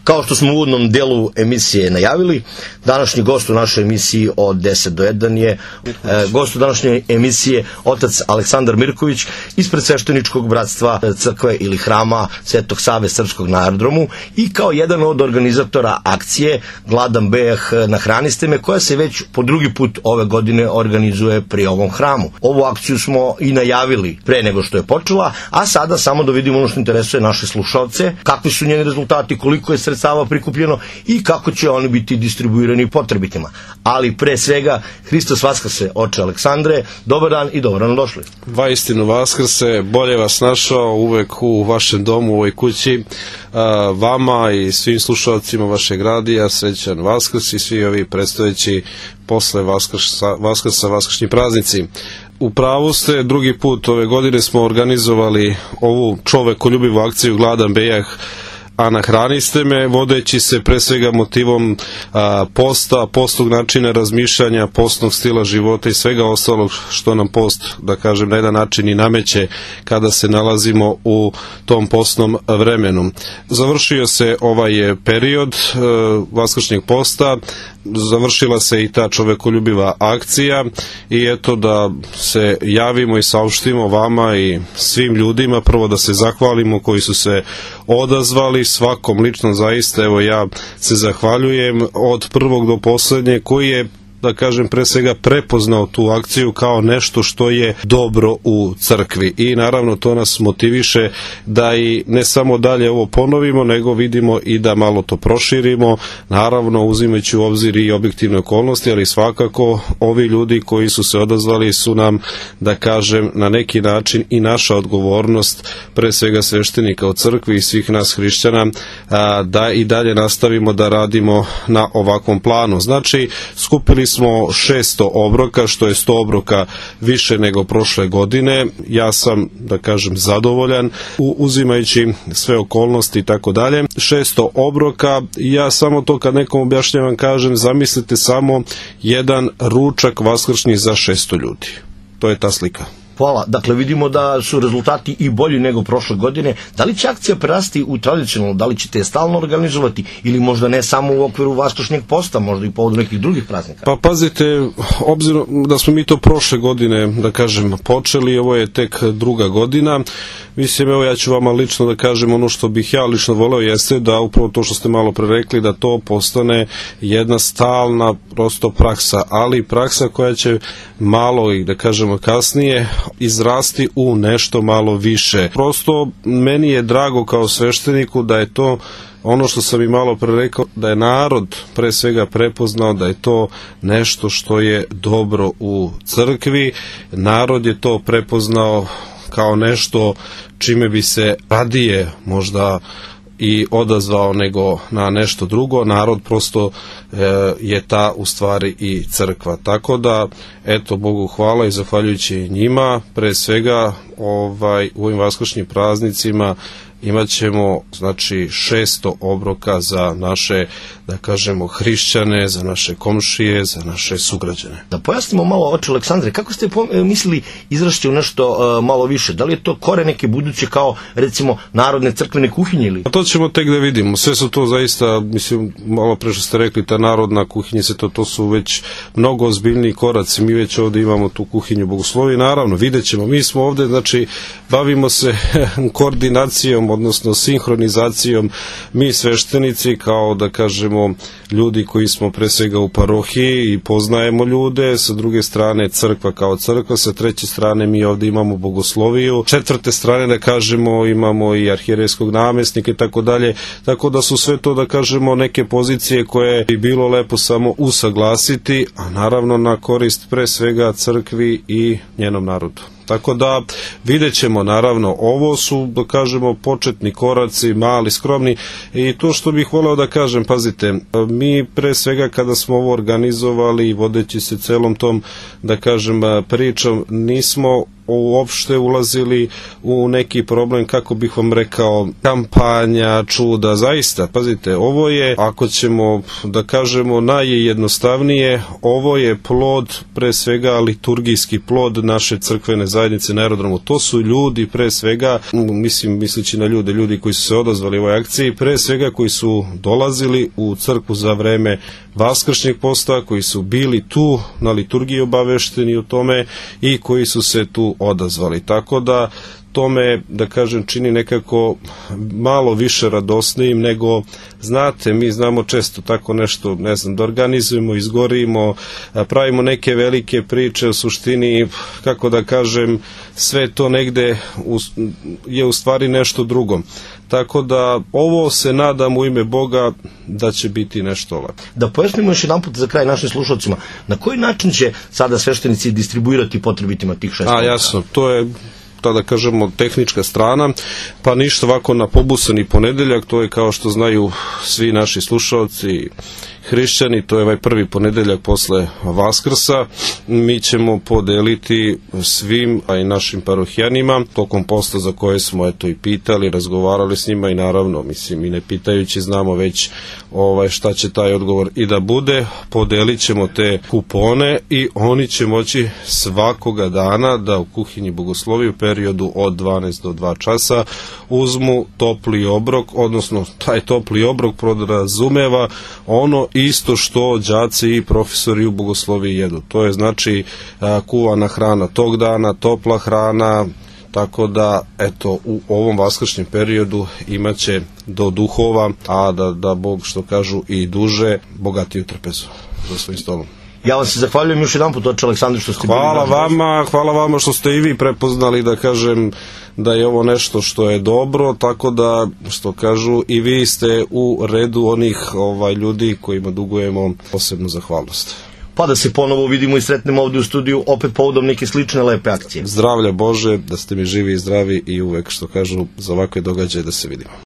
Kao što smo u uvodnom delu emisije najavili, današnji gost u našoj emisiji od 10 do 1 je gost u današnjoj emisije otac Aleksandar Mirković ispred svešteničkog bratstva crkve ili hrama Svetog Save Srpskog na aerodromu i kao jedan od organizatora akcije Gladan bejah nahraniste me, koja se već po drugi put ove godine organizuje pri ovom hramu. Ovu akciju smo i najavili pre nego što je počela, a sada samo da vidimo ono što interesuje naše slušalce, kakvi su njeni rezultati, koliko je sredstava prikupljeno i kako će oni biti distribuirani potrebitima. Ali pre svega, Hristos vaskrse, oče Aleksandre, dobar dan i dobro nam došli. Vaistinu vaskrse, bolje vas našao uvek u vašem domu, u ovoj kući, vama i svim slušalcima vašeg radija, srećan Vaskrs i svi ovi predstojeći posle Vaskrsa, vaskršnji praznici. U pravu ste, drugi put ove godine smo organizovali ovu čovekoljubivu akciju Gladan bejah a nahraniste me, vodeći se pre svega motivom posta, postnog načina razmišljanja, postnog stila života i svega ostalog što nam post, da kažem, na jedan način i nameće kada se nalazimo u tom postnom vremenu. Završio se ovaj period vaskršnjeg posta, završila se i ta čovekoljubiva akcija i eto da se javimo i saopštimo vama i svim ljudima, prvo da se zahvalimo koji su se odazvali, svakom lično zaista, evo ja se zahvaljujem od prvog do poslednje koji je, da kažem, pre svega prepoznao tu akciju kao nešto što je dobro u crkvi i naravno to nas motiviše da i ne samo dalje ovo ponovimo, nego vidimo i da malo to proširimo, naravno uzimajući u obzir i objektivne okolnosti, ali svakako ovi ljudi koji su se odazvali su nam, da kažem, na neki način i naša odgovornost, pre svega sveštenika u crkvi i svih nas hrišćana, da i dalje nastavimo da radimo na ovakvom planu. Znači, skupili smo 600 obroka, što je 100 obroka više nego prošle godine. Ja sam, da kažem, zadovoljan uzimajući sve okolnosti i tako dalje. 600 obroka, ja samo to kad nekom objašnjavam kažem, zamislite samo jedan ručak vaskršnji za 600 ljudi. To je ta slika. Hvala. Dakle, vidimo da su rezultati i bolji nego prošle godine. Da li će akcija prerasti u tradicionalno, da li ćete je stalno organizovati ili možda ne samo u okviru vaskršnjeg posta, možda i povodom nekih drugih praznika? Pa pazite, obzirom da smo mi to prošle godine, da kažem, počeli, ovo je tek druga godina, mislim, evo ja ću vama lično da kažem ono što bih ja lično voleo jeste da upravo to što ste malo pre rekli, da to postane jedna stalna prosto praksa, ali praksa koja će malo i da kažemo kasnije izrasti u nešto malo više. Prosto meni je drago kao svešteniku da je to ono što sam i malo pre rekao, da je narod pre svega prepoznao da je to nešto što je dobro u crkvi, narod je to prepoznao kao nešto čime bi se radije možda i odazvao nego na nešto drugo. Narod prosto je ta u stvari i crkva. Tako da, eto, Bogu hvala i zahvaljujući njima, pre svega u ovim vaskršnjim praznicima imat ćemo, znači, 600 obroka za naše, da kažemo, hrišćane, za naše komšije, za naše sugrađane. Da pojasnimo malo, oče Aleksandre, kako ste mislili izrašći u nešto malo više? Da li je to kore neke buduće kao, recimo, narodne crkvene kuhinje ili? A to ćemo tek da vidimo. Sve su to zaista, mislim, malo pre što ste rekli, ta narodna kuhinja, to su već mnogo ozbiljniji koraci. Mi već ovde imamo tu kuhinju bogoslovi, naravno, vidjet ćemo. Mi smo ovde, znači, bavimo se koordinacijom, odnosno sinhronizacijom, mi sveštenici kao, da kažemo, ljudi koji smo pre svega u parohiji i poznajemo ljude, sa druge strane crkva kao crkva, sa treće strane mi ovde imamo bogosloviju, četvrte strane, da kažemo, imamo i arhijerejskog namestnika i tako dalje, tako da su sve to, da kažemo, neke pozicije koje bi bilo lepo samo usaglasiti, a naravno na korist pre svega crkvi i njenom narodu. Tako da vidjet ćemo, naravno, ovo su, da kažemo, početni koraci, mali, skromni, i to što bih voleo da kažem, pazite, mi pre svega kada smo ovo organizovali, vodeći se celom tom, da kažem, pričom, nismo uopšte ulazili u neki problem, kako bih vam rekao, kampanja, čuda, zaista, pazite, ovo je, ako ćemo da kažemo najjednostavnije, ovo je plod, pre svega liturgijski plod naše crkvene zajednice na aerodromu. To su ljudi, pre svega, misleći na ljudi koji su se odazvali ovoj akciji, pre svega koji su dolazili u crkvu za vreme vaskršnjeg posta, koji su bili tu na liturgiji obavešteni o tome i koji su se tu odazvali. Tako da to me, da kažem, čini nekako malo više radosnijim nego, znate, mi znamo često tako nešto, ne znam, da organizujemo, izgorimo, pravimo neke velike priče, u suštini, kako da kažem, sve to negde je u stvari nešto drugo. Tako da ovo se nadam u ime Boga da će biti nešto lepo. Da pojasnimo još jedan put za kraj našim slušalcima, na koji način će sada sveštenici distribuirati potrebitima tih 6 ponuda? Jasno, to je, da kažemo, tehnička strana, pa ništa, ovako na pobusani ponedeljak, to je, kao što znaju svi naši slušalci hrišćani, to je ovaj prvi ponedeljak posle Vaskrsa. Mi ćemo podeliti svim, a i našim parohijanima, tokom posta za koje smo eto i pitali, razgovarali s njima i naravno, mislim, i ne pitajući znamo već šta će taj odgovor i da bude, podelit ćemo te kupone i oni će moći svakoga dana da u kuhinji Bogoslovije u periodu od 12 do 2 časa uzmu topli obrok, odnosno taj topli obrok podrazumeva ono isto što đaci i profesori u Bogosloviji jedu. To je znači kuvana hrana tog dana, topla hrana, tako da eto u ovom vaskršnjem periodu imaće do duhova, a da Bog, što kažu, i duže, bogatiju trpezu za svojim stolom. Ja vam se zahvaljujem još jedan put, oče Aleksandar, što ste Hvala vama što ste i vi prepoznali, da kažem, da je ovo nešto što je dobro, tako da, što kažu, i vi ste u redu onih ljudi kojima dugujemo posebnu zahvalnost. Pa da se ponovo vidimo i sretnemo ovdje u studiju, opet povodom neke slične lepe akcije. Zdravlja Bože, da ste mi živi i zdravi i uvek, što kažu, za ovakve događaje da se vidimo.